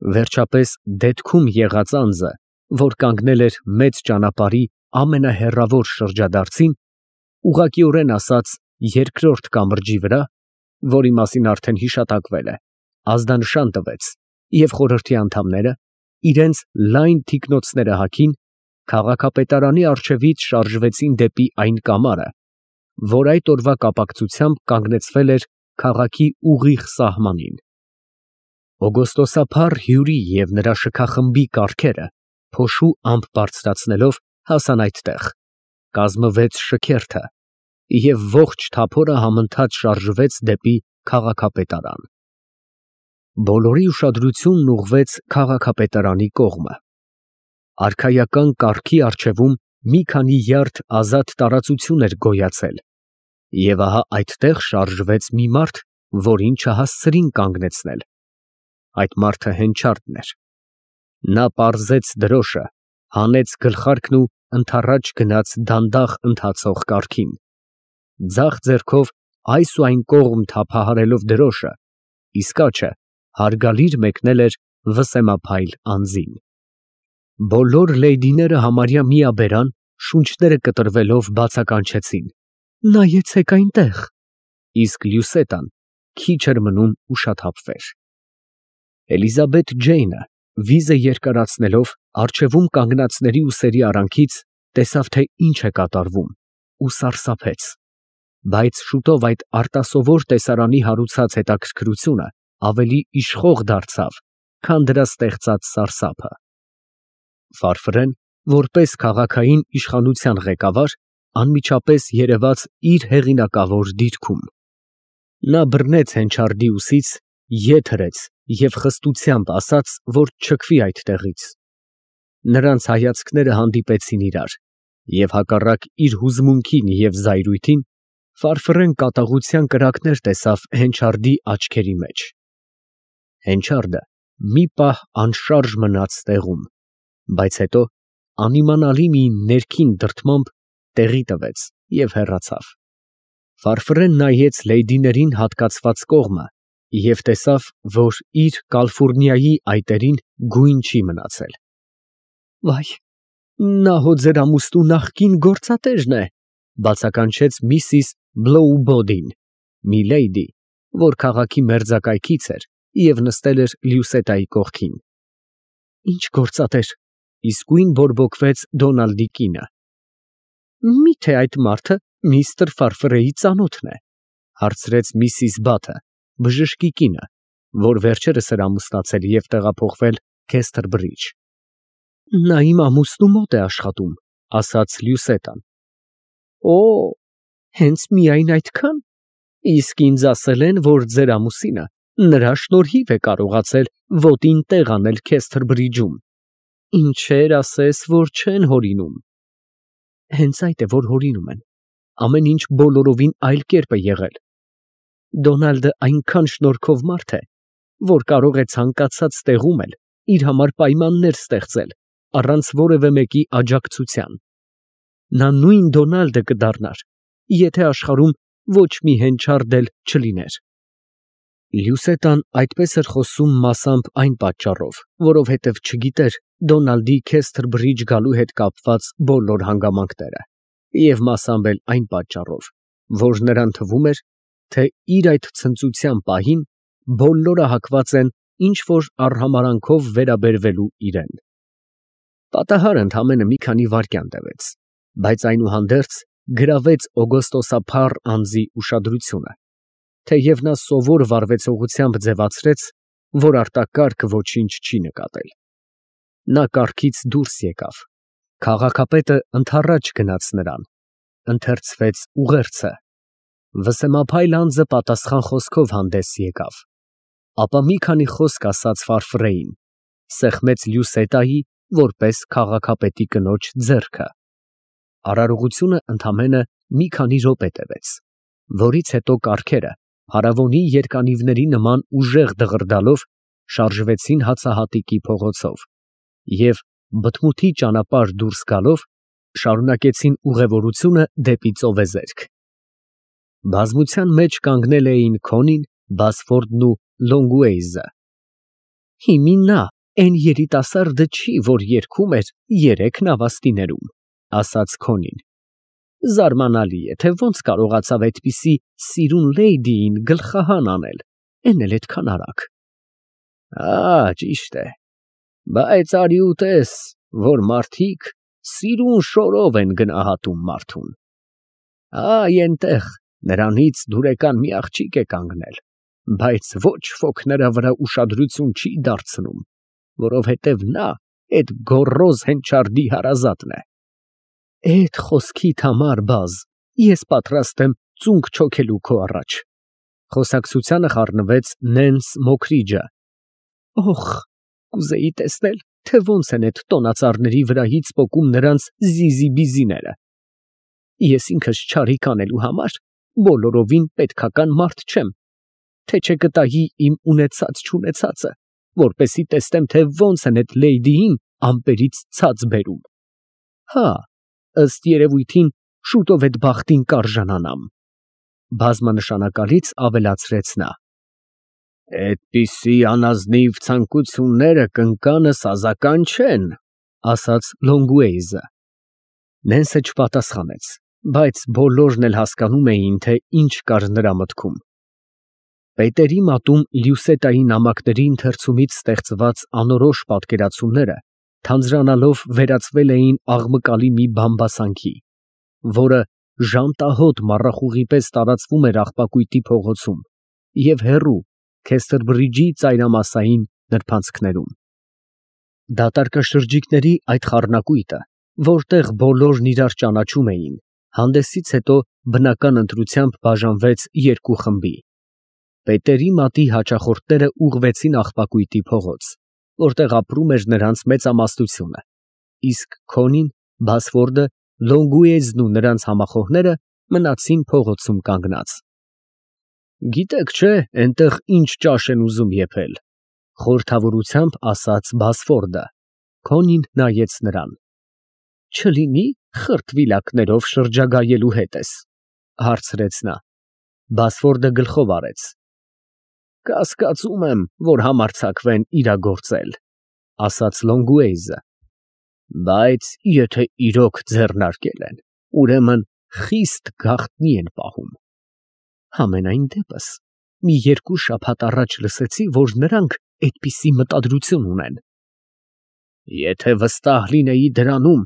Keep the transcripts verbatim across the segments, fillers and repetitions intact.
Վերջապես դետքում եղած անձը, որ կանգնել էր մեծ ճանապարհի ամենահեռավոր շրջադարձին, ուղղակիորեն ասաց երկրորդ կամրջի վրա, որի մասին արդեն հիշատակվել է, ազդանշան տվեց, և խորհրդի անդամները, իրենց լայն թիկնոցները հագին, քաղաքապետարանի առջևից շարժվեցին դեպի այն կամարը, որ այդ օրվա կապակցությամբ կանգնեցվել էր քաղաքի ուղիղ սահմանին։ Օգոստոսափառ հյուրի և նրա շքախմբի կառքերը փոշու ամպ բարձրացնելով հասան այդտեղ, կազմվեց շքերթը, և ողջ թափորը համընթաց շարժվեց դեպի քաղաքապետարան։ Բոլորի ուշադրությունն ուղղվեց քաղաքապետարանի կողմը։ Արքայական կառքի առջևում մի քանի յարդ ազատ տարածություն էր գոյացել, և ահա այդտեղ շարժվեց մի մարդ, որին չհասցրին կանգնեցնել։ Այդ մարդը Հենչարդն էր։ Նա պարզեց դրոշը, հանեց գլխարկն ու ընդառաջ գնաց դանդաղ ընթացող կառքին, ձախ ձեռքով այս ու այն կողմ թափահարելով դրոշը, իսկ աջը հարգալիր մեկնել էր վսեմափայլ անձին։ Բոլոր լեյդիները համարյա միաբերան, շունչները կտրվելով բացականչեցին. «Նայեցեք այնտեղ», իսկ Լյուսետան քիչ էր մնում ուշաթափվեր։ Էլիզաբեթ Ջեյնը, վիզը երկարացնելով, առջևում կանգնածների ուսերի արանքից տեսավ, թե ինչ է կատարվում, ու սարսափեց, բայց շուտով այդ արտասովոր տեսարանի հարուցած հետաքրքրությունը ավելի իշխող դարձավ, քան դրա ստեղծած սարսափը։ Ֆարֆրեն, որպես քաղաքային իշխանության ղեկավար, անմիջապես երևաց իր հեղինակավոր դիրքում։ Նա բռնեց Հենչարդի ուսից, ետ հրեց և խստությամբ ասաց, որ չքվի այդտեղից։ Նրանց հայացքները հանդիպեցին իրար, և հակառակ իր հուզմունքին և զայրույթին, Ֆարֆրեն կատաղության կրակներ տեսավ Հենչարդի աչքերի մեջ։ Հենչարդը մի պահ անշարժ մնաց տեղում, բայց հետո անիմանալի մի ներքին դրդմամբ տեղի տվեց և հեռացավ։ Ֆարֆրեն նայեց լեյդիներին հատկացված կողմը և տեսավ, որ իր կալֆուրնիայի այտերին գույն չի մնացել։ «Վայ, նա հո ձեր ամուսնու նախկին գործատերն է», բացականչեց միսիս Բլոուբոդին, մի լեյդի, որ քաղաքի մերձակայքից էր և նստել էր Լյուսետայի կողքին։ «Ինչ գործատեր», իսկույն բորբոքվեց Դոնալդի կինը։ «Մի՞թե այդ մարդը միստր Ֆարֆրեի ծանոթն է», հարցրեց միսիս Բաթը, բժշկի կինը, որ վերջերս էր ամուսնացել և տեղափոխվել Քեսթերբրիջ։ «Նա իմ ամուսնու մոտ է աշխատում», ասաց Լյուսետան։ «Օ, հենց միայն այդքա՞ն, իսկ ինձ ասել են, որ ձեր ամուսինը նրա շնորհիվ է կարողացել ոտին տեղ անել Քեսթերբրիջում։ Ինչեր ասես, որ չեն հորինում»։ «Հենց այդ է, որ հորինում են, ամեն ինչ բոլորովին այլ կերպ է եղել։ Դոնալդը այնքան շնորհքով մարդ է, որ կարող է ցանկացած տեղում էլ իր համար պայմաններ ստեղծել, առանց որևէ մեկի աջակցության։ Նա նույն Դոնալդը կդառնար, եթե աշխարհում ոչ մի Հենչարդ էլ չլիներ»։ Լյուսետան այդպես էր խոսում մասամբ այն պատճառով, որովհետև չգիտեր Դոնալդի Քեսթերբրիջ գալու հետ կապված բոլոր հանգամանքները, և մասամբ էլ այն պատճառով, որ նրան թվում էր, թե իր այդ ցնծության պահին բոլորը հակված են ինչ֊որ արհամարհանքով վերաբերվելու իրան։ Պատահար ընդամենը մի քանի վայրկյան տևեց, բայց այնուհանդերձ գրավեց օգոստոսափառ անձի ուշադրությունը, թեև նա սովոր վարվեցողությամբ ձևացրեց, որ արտակարգ ոչինչ չի նկատել։ Նա կառքից դուրս եկավ, քաղաքապետը ընդառաջ գնաց նրան, ընթերցվեց ուղերձը, վսեմափայլ անձը պատասխան խոսքով հանդես եկավ, ապա մի քանի խոսք ասաց Ֆարֆրեին, սեղմեց Լյուսետայի որպես քաղաքապետի կնոջ ձեռքը։ Արարողությունը ընդամենը մի քանի րոպե տևեց, որից հետո կառքերը փարավոնի երկանիվների նման ուժեղ դղրդալով շարժվեցին հացահատիկի փողոցով և, բթմութի ճանապարհ դուրս գալով, շարունակեցին ուղևորությունը դեպի ծովեզերք։ Բազմության մեջ կանգնել էին Քոնին, Բասֆորդն ու Լոնգուեյզը։ «Հիմի նա», Էն երիտասարդը չի, որ երգում էր երեք նավաստիներում, ասաց Քոնին։ Զարմանալի է, թե ոնց կարողացավ այդպիսի սիրուն լեյդիին գլխահան անել, էն էլ էդքան արագ։ Ա, ճիշտ է, բայց արի ու տես, որ մարդիկ սիրուն շորով են գնահատում մարդուն։ Այ էնտեղ նրանից դուրեկան մի աղջիկ է կանգնել, բայց ոչ ոք նրա վրա ուշադրություն չի դարձնում, որովհետև նա էդ գոռոզ հենչարդի հարազատն է։ Էդ խոսքիդ համար, բազ, ես պատրաստ եմ ծունկ չոքելու քո առաջ։ Խոսակցությանը խառնվեց Նենս Մոքրիջը։ Օխ, կուզեի տեսնել, թե ոնց են այդ տոնածառների վրայից պոկում նրանց զիզի-բիզիները։ Ես ինքս չարիք անելու համար բոլորովին պետքական մարդ չեմ, թե չկտայի իմ ունեցած-չունեցածը, որպեսի տեսնեմ, թե ոնց են այդ լեյդիին ամպերից ցած բերում։ Հա, ըստ երևույթին շուտով այդ բախտին կարժանանամ։ Բազմանշանակալից ավելացրեց նա. Այդպիսի անազնիվ ցանկությունները կնկանս ազական չեն, ասաց Լոնգուեյզը։ Նենսը չպատասխանեց, բայց բոլորն էլ հասկանում էին, թե ինչ կար նրա մտքում։ Պետերի մատում Լյուսետայի նամակների ընթերցումից ստեղծված անորոշ պատկերացումները թանձրանալով վերածվել էին աղմկալի մի բամբասանքի, որը ժանտահոտ մառախուղի պես տարածվում էր աղբակույտի փողոցում և հեռու Քեսթերբրիջի ծայրամասային նրբանցքներում։ Դատարկաշրջիկների այդ խառնակույտը, որտեղ բոլորն իրար ճանաչում էին, հանդեսից հետո բնական ընտրությամբ բաժանվեց երկու խմբի։ Պետերի մատի հաճախորդները ուղղվեցին աղբակույտի փողոց, որտեղ ապրում էր նրանց մեծամասնությունը, իսկ Քոնին, Բասֆորդը, Լոնգուեյզն ու նրանց համախոհները մնացին փողոցում կանգնած։ Գիտեք չէ, այնտեղ ինչ ճաշ են ուզում եփել, խորհրդավորությամբ ասաց Բասֆորդը։ Քոնին նայեց նրան։ Չլինի խրտվիլակներով շրջագայելու հետ ես, հարցրեց նա։ Բասֆորդը գլխով արեց։ Կասկածում եմ, որ համարձակվեն իրագործել, ասաց Լոնգուեյզը։ Բայց եթե իրոք ձեռնարկել են, ուրեմն խիստ գաղտնի են պահում։ Համենայն դեպս, մի երկու շաբաթ առաջ լսեցի, որ նրանք այդպիսի մտադրություն ունեն։ Եթե վստահ լինեի դրանում,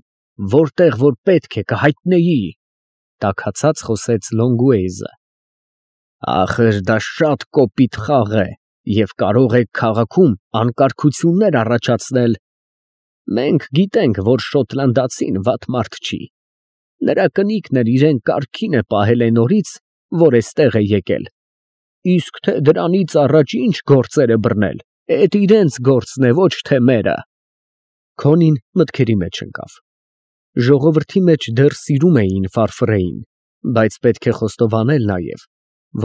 որտեղ որ պետք է կհայտնեի, տաքացած խոսեց Լոնգուեյզը։ Ախր դա շատ կոպիտ խաղ է և կարող է քաղաքում անկարգություններ առաջացնել։ Մենք գիտենք, որ շոտլանդացին վատ մարդ չի։ Նրա կնիկն էլ իրեն կարգին է պահել այն օրից, որ էստեղ է եկել։ Իսկ թե դրանից առաջ ինչ գործեր է բռնել, էդ իրենց գործն է, ոչ թե մերը։ Քոնին մտքերի մեջ ընկավ։ Ժողովրդի մեջ դեռ սիրում էին Ֆարֆրեին, բայց պետք է խոստովանել նաև,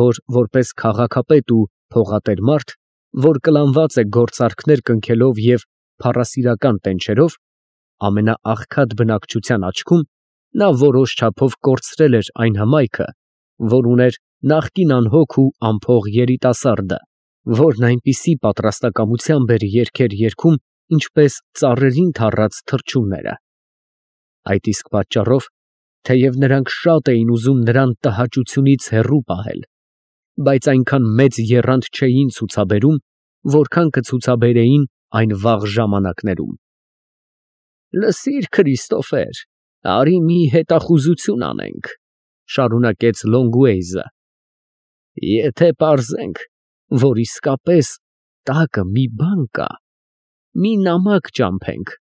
որ որպես քաղաքապետ ու փողատեր մարդ, որ կլանված է գործարքներ կնքելով և փառասիրական տենչերով, ամենաաղքատ բնակչության աչքում նա որոշ չափով կորցրել էր այն հմայքը, որ ուներ նախկին անհոգ ու անփող երիտասարդը, որն այնպիսի պատրաստակամությամբ էր երգեր երգում, ինչպես ծառերին թառած թռչունները։ Այդ իսկ պատճառով, թեև նրանք շատ էին ուզում նրան տհաճությունից հեռու պահել, բայց այնքան մեծ եռանդ չէին ցուցաբերում, որքան կցուցաբերեին այն վաղ ժամանակներում։ Լսիր, Քրիստոֆեր, արի մի հետախուզություն անենք, շարունակեց Լոնգուեյզը։ Եթե պարզենք, որ իսկապես տակը մի բան կա, մի նամակ ճամփենք,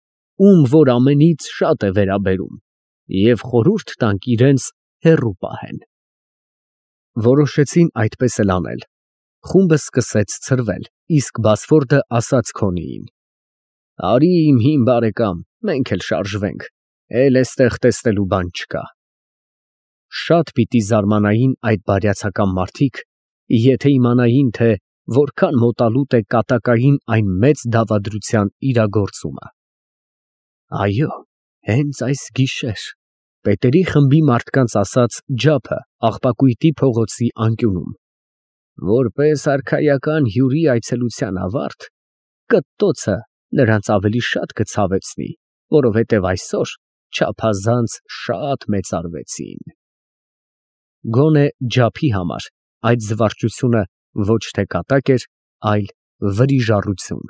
ում որ ամենից շատ է վերաբերում, և խորհուրդ տանք իրենց հեռու պահեն։ Որոշեցին այդպես էլ անել։ Խումբը սկսեց ցրվել, իսկ Բասֆորդը ասաց Քոնիին. Արի իմ հին բարեկամ, մենք էլ շարժվենք, էլ էստեղ տեսնելու բան չկա։ Շատ պիտի զարմանային այդ բարյացակամ մարդիկ, եթե իմանային, թե որքան մոտալուտ է կատակային այն մեծ դավադրության իրագործումը։ Այո, հենց այս գիշեր, պետերի խմբի մարդկանց ասաց Ջափը աղբակույտի փողոցի անկյունում, որպես արքայական հյուրի այցելության ավարտ, կտտոցը նրանց ավելի շատ կցավեցնի, որովհետև այսօր չափազանց շատ մեծարվեցին։ Գոնե ջափի համար այդ զվարճությունը ոչ թե կատակ էր, այլ վրիժառություն։